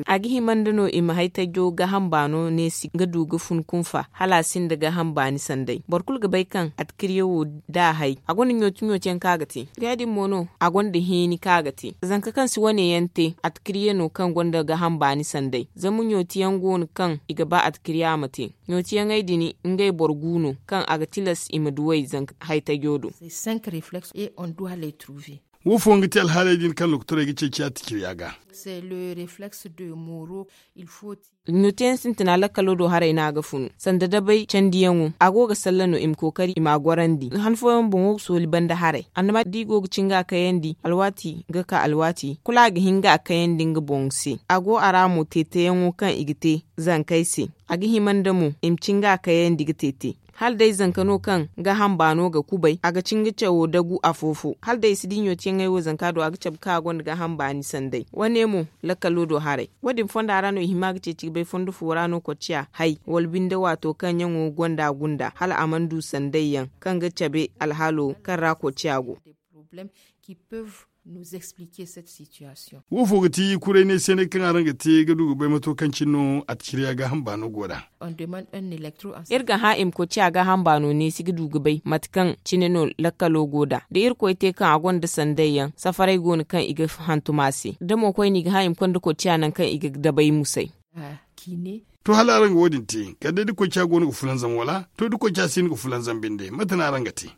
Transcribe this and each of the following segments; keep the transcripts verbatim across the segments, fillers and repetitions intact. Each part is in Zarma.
A ga hima nda no i ma haytajo gaaham baano neesi ga du ga fun kunfa hala a sinda gaaham baani sanday. Boro kulu ga bay kaŋ atkirye wo da a hay a gonda ɲooti ɲooti yaŋ kaŋ a ga te. Ya- din mo no a gonda heeni kaŋ a ga te zanka kaŋ si wane yaŋ te atkirye no kaŋ gonda gaaham baani sanday. Zama ɲooti yaŋ go no kaŋ i ga ba atkirye a ma te. Ɲooti yaŋey din ngey boro gu no kaŋ a ga tilas i ma duw'ey zanka haytajo do. Wo fooyaŋ ga ti alhaaley din kaŋ lokotorey ga ceeci atikirya ga. Ɲooti yaŋ sintina lakkalo do haray no a ga funu sanda dabay candiyaŋo a go ga salla no i ma kookari i m'a gorandi han fooyaŋ boŋo ga sooli banda haray annama da i go ga ci nga a kayandi alwaati ga ka alwaati kulu a ga hin ga a kayandi nga boŋ se. A go a ra mo teeteyaŋo kaŋ i ga te zankey se. A ga hima nda mo i ma ci nga a kayandi ga teete hala day zanka no kaŋ gaaham baano ga kubay a ga ci nga cawo dagu afo-fo hala day i si di ɲootiyaŋey wo zanka do a ga cabe kaŋ a gonda gaaham baani sanday. Wane mo lakkalo do haray. Wo- din fonda ra no i hima ga ceeci ga bay fondo fo ra no kocciya hay wala binde waato kaŋ ɲaŋo gonda gunda hala a mana du sanday yaŋ kaŋ ga cabe alhaalo kaŋ ra kocciya go. Wo fo ga ti kuray ne se ne kaŋ araŋ ga te ga du ga bay mato kaŋ cine no atikirya gaaham baano go nd'a. Iri ga hã i ma koy ciya gaaham baano neesi ga du ga bay mate kaŋ cine no lakkalo go nd'a da irkoy te kaŋ a gonda sanday yaŋ safaray go no kaŋ i ga hantum a se da mo koyne i ga hã i ma konda koy ciya nangu kaŋ i ga dabay musay. To hala araŋ ga wo- din te kala day da koy ciya go no ga fulanzam wala to da koy ciya si no ga fulanzam binde mate no araŋ ga te?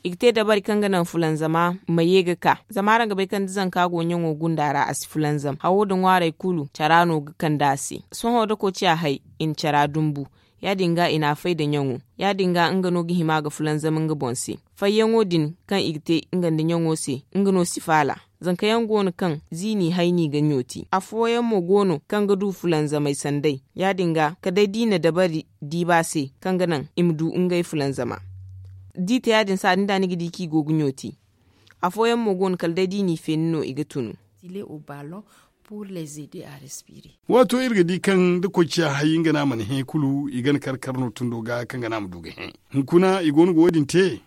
I ga te dabari kaŋ ga naŋ fulanzama ma ye ga ka zama araŋ ga bay kaŋ da zanka go ɲaŋo gunda ra a si fulanzam hawo nda ŋwaaray kulu cara no ga kande a se. Sohõ da koociya hay i na cara dumbu ya- din ga i n'a fay nda ɲaŋo ya- din ga nga no ga hima ga fulanzam nga boŋ se. Fayyaŋo din kaŋ i ga te nga nda ɲaŋo se nga no si faala. Zanka yaŋ go no kaŋ ziini hay no i ga ɲooti afooyaŋ mo go no kaŋ ga du fulanzamey sanday ya- din ga kala day da i na dabari diiba se kaŋ ga naŋ i ma du ngey fulanzama. Da i te ya- din saadin da ni ga di kaŋ i go ga ɲooti. Afooyaŋ mo go no kala day da i n'i feeni no i ga tunu. Waato iri ga di kaŋ da koy ciya hay nga no a mana hẽ kulu i gana kar kar no tundo ga kaŋ ga no a ma du ga hẽ. Hunkuna i go no ga wo- din te?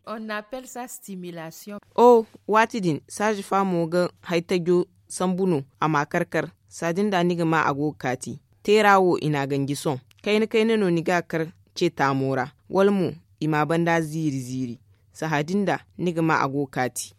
O waati din saazi fa mo ga haytajo sambu no a m'a kar kar. Saadin da ni ga ma a go ga kaati teera wo i n'a ganji sohõ kayna kayna no ni ga a kar ce taamo ra wala mo i m'a banda ziiri ziiri. Sahã din da ni ga ma a go ga kaati.